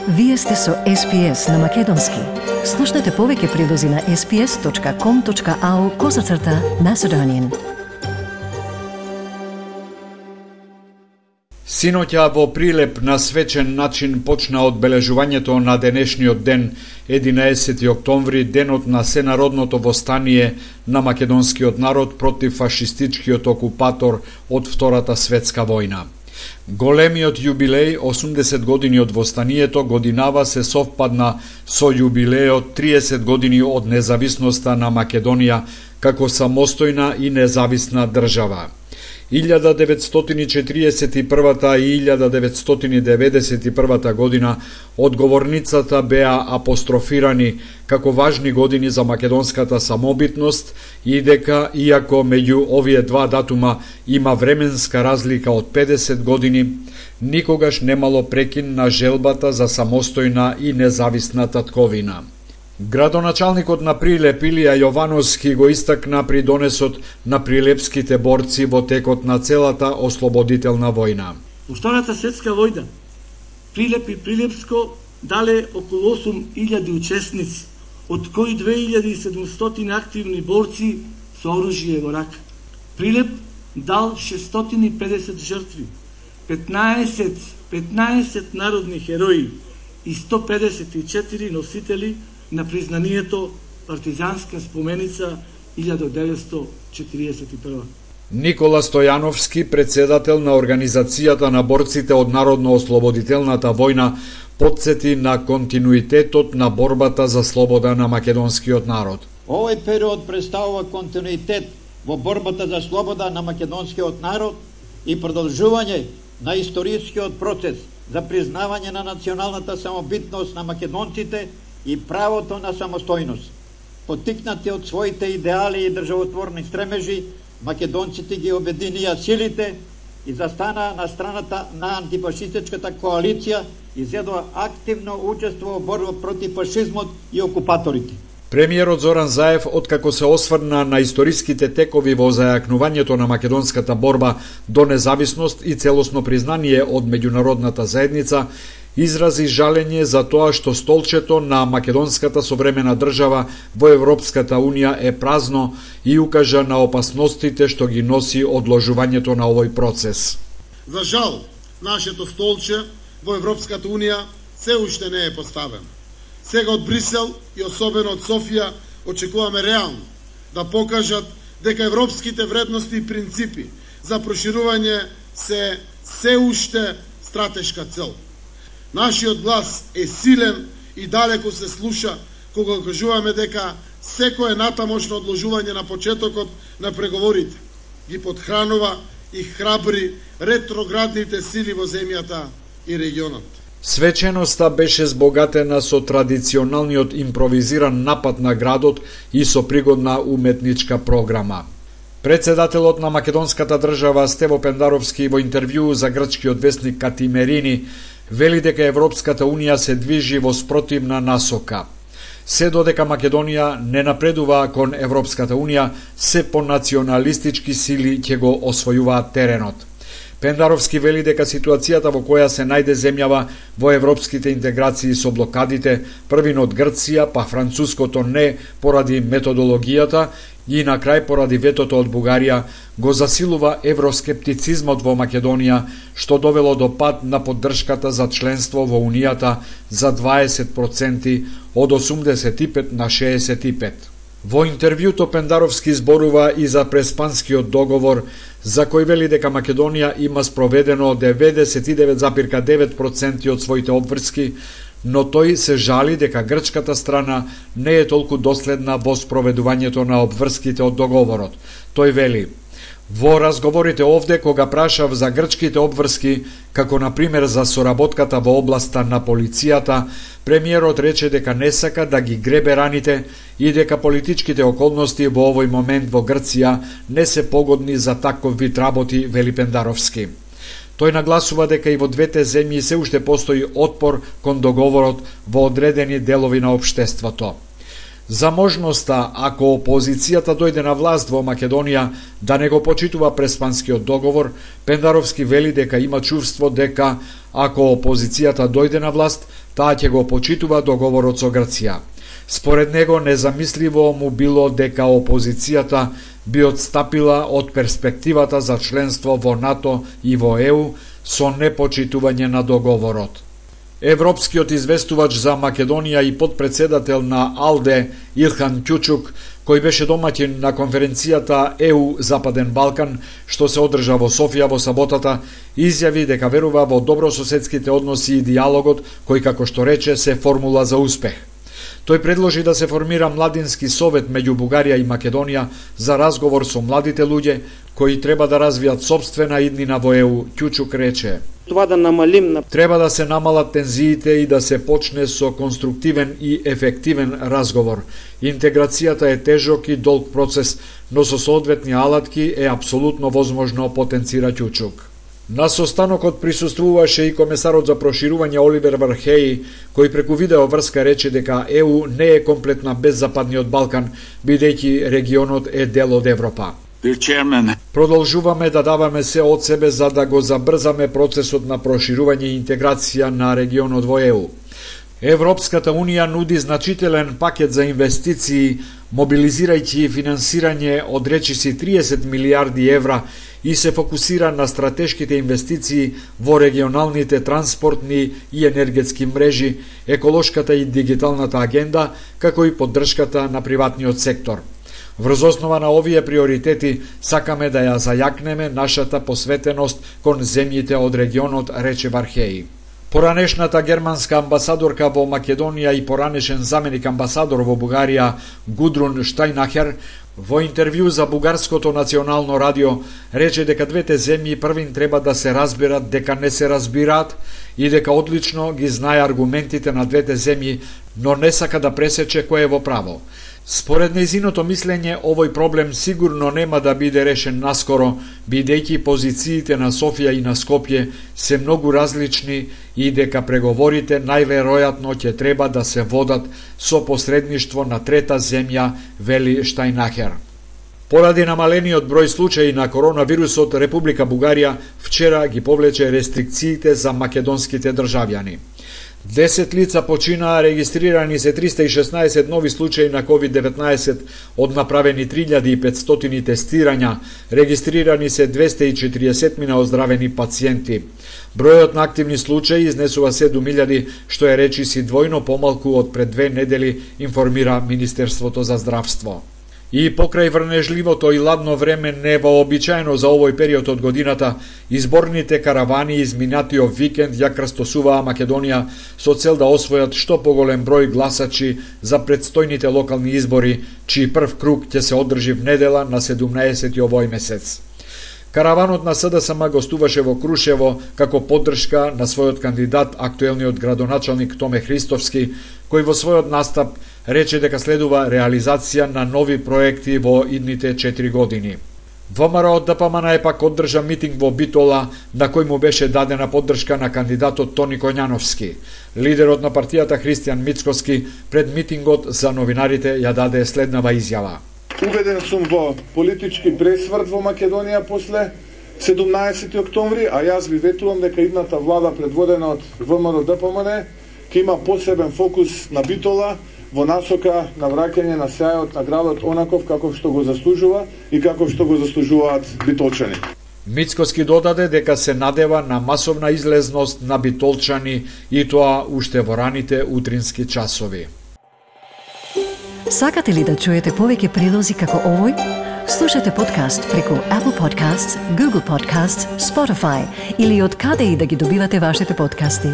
Вие сте со SPS на Македонски. Слушнете повеќе прилози на sps.com.au/Macedonian. Синоќа во Прилеп на свечен начин почна одбележувањето на денешниот ден, 11 октомври, денот на сенародното востание на македонскиот народ против фашистичкиот окупатор од Втората светска војна. Големиот јубилеј, 80 години од востанието, годинава се совпадна со јубилеот 30 години од независноста на Македонија како самостојна и независна држава. 1941 и 1991 година одговорницата беа апострофирани како важни години за македонската самобитност и дека, иако меѓу овие два датума има временска разлика од 50 години, никогаш немало прекин на желбата за самостојна и независна татковина. Градоначалникот на Прилеп Илија Јовановски го истакна придонесот на прилепските борци во текот на целата ослободителна војна. Во Втората светска војна Прилеп и Прилепско дале околу 8.000 учесници, од кои 2.700 активни борци со оружје во рака. Прилеп дал 650 жртви, 15 народни херои и 154 носители на признанието партизанска споменица 1941. Никола Стојановски, председател на Организацијата на борците од Народно-ослободителната војна, потсети на континуитетот на борбата за слобода на македонскиот народ. Овој период представува континуитет во борбата за слобода на македонскиот народ и продолжување на историскиот процес за признавање на националната самобитност на македонците и правото на самостојност. Поттикнати од своите идеали и државотворни стремежи, македонците ги обединија силите и застана на страната на антифашистичката коалиција и зедоа активно учество во борба против фашизмот и окупаторите. Премиерот Зоран Заев, откако се осврна на историските текови во зајакнувањето на македонската борба до независност и целосно признание од меѓународната заедница, изрази жалење за тоа што столчето на македонската современа држава во Европската Унија е празно и укажа на опасностите што ги носи одложувањето на овој процес. За жал, нашето столче во Европската Унија се уште не е поставено. Сега од Брисел и особено од Софија очекуваме реално да покажат дека европските вредности и принципи за проширување се уште стратешка цел. Нашиот глас е силен и далеко се слуша кога кажуваме дека секое натамошно одложување на почетокот на преговорите ги подхранува и храбри ретроградните сили во земјата и регионот. Свеченоста беше збогатена со традиционалниот импровизиран напад на градот и со пригодна уметничка програма. Председателот на македонската држава Стево Пендаровски во интервју за грчкиот весник Катимерини вели дека Европската Унија се движи во спротивна насока. Се додека Македонија не напредува кон Европската Унија, се по националистички сили ќе го освојуваат теренот. Пендаровски вели дека ситуацијата во која се најде земјава во европските интеграции со блокадите, првин од Грција, па француското не поради методологијата и на крај поради ветото од Бугарија, го засилува евроскептицизмот во Македонија, што довело до пад на поддршката за членство во Унијата за 20% од 85 на 65. Во интервјуто Пендаровски зборува и за преспанскиот договор, за кој вели дека Македонија има спроведено 99,9% од своите обврски, но тој се жали дека грчката страна не е толку доследна во спроведувањето на обврските од договорот. Тој вели: во разговорите овде, кога прашав за грчките обврски, како на пример за соработката во областа на полицијата, премиерот рече дека не сака да ги гребе раните и дека политичките околности во овој момент во Грција не се погодни за таков вид работи, вели Пендаровски. Тој нагласува дека и во двете земји се уште постои отпор кон договорот во одредени делови на општеството. За можноста, ако опозицијата дојде на власт во Македонија, да не го почитува преспанскиот договор, Пендаровски вели дека има чувство дека, ако опозицијата дојде на власт, Таа ќе го почитува договорот со Грција. Според него, незамисливо му било дека опозицијата би отстапила од перспективата за членство во НАТО и во ЕУ со непочитување на договорот. Европскиот известувач за Македонија и подпредседател на АЛДЕ Илхан Кјучук, кој беше домаќин на конференцијата ЕУ Западен Балкан, што се одржа во Софија во саботата, изјави дека верува во добрососедските односи и диалогот, кој, како што рече, се формула за успех. Тој предложи да се формира младински совет меѓу Бугарија и Македонија за разговор со младите луѓе кои треба да развијат сопствена иднина во ЕУ. Кјучук рече: треба да се намалат тензиите и да се почне со конструктивен и ефективен разговор. Интеграцијата е тежок и долг процес, но со соодветни алатки е апсолутно возможно, потенцира Кјучук. На состанокот присуствуваше и комесарот за проширување Оливер Вархеи, кој преку видео врска рече дека ЕУ не е комплетна без Западниот Балкан, бидејќи регионот е дел од Европа. Продолжуваме да даваме се од себе за да го забрзаме процесот на проширување и интеграција на регионот во ЕУ. Европската Унија нуди значителен пакет за инвестиции, мобилизирајќи финансирање од речиси 30 милиарди евра и се фокусира на стратешките инвестиции во регионалните транспортни и енергетски мрежи, еколошката и дигиталната агенда, како и поддршката на приватниот сектор. Врз основа на овие приоритети сакаме да ја зајакнеме нашата посветеност кон земјите од регионот, рече Вархеи. Поранешната германска амбасадорка во Македонија и поранешен заменик амбасадор во Бугарија Гудрун Штајнахер во интервју за Бугарското национално радио рече дека двете земји првин треба да се разберат дека не се разбираат и дека одлично ги знае аргументите на двете земји, но не сака да пресече кој е во право. Според нејзиното мислење, овој проблем сигурно нема да биде решен наскоро, бидејќи позициите на Софија и на Скопје се многу различни и дека преговорите најверојатно ќе треба да се водат со посредништво на трета земја, вели Штајнахер. Поради намалениот број случаи на коронавирусот, Република Бугарија вчера ги повлече рестрикциите за македонските државјани. 10 лица починаа, регистрирани се 316 нови случаи на COVID-19, од направени 3500 тестирања, регистрирани се 240 оздравени пациенти. Бројот на активни случаи изнесува 7000, што е речиси двојно помалку од пред 2 недели, информира Министерството за здравство. И покрај врнежливото и ладно време невообичаено за овој период од годината, изборните каравани изминатиот викенд ја крстосуваа Македонија со цел да освојат што поголем број гласачи за предстојните локални избори, чиј прв круг ќе се одржи в недела на 17 овој месец. Караванот на СДСМ гостуваше во Крушево како поддршка на својот кандидат, актуелниот градоначалник Томе Христовски, кој во својот настап рече дека следува реализација на нови проекти во идните 4 години. ВМРО ДПМН е пак одржа митинг во Битола, на кој му беше дадена поддршка на кандидатот Тони Коњановски. Лидерот на партијата Христијан Мицкоски пред митингот за новинарите ја даде следнава изјава. Убеден сум во политички пресврт во Македонија после 17 октомври, а јас ви ветувам дека идната влада предводена од ВМРО ДПМН ќе има посебен фокус на Битола во насока на враќање на сјајот на градот онаков како што го заслужува и како што го заслужуваат битолчани. Мицкоски додаде дека се надева на масовна излезност на битолчани и тоа уште во раните утрински часови. Сакате ли да чуете повеќе прилози како овој? Слушате подкаст преку Apple Podcasts, Google Podcasts, Spotify или од каде и да ги добивате вашите подкасти.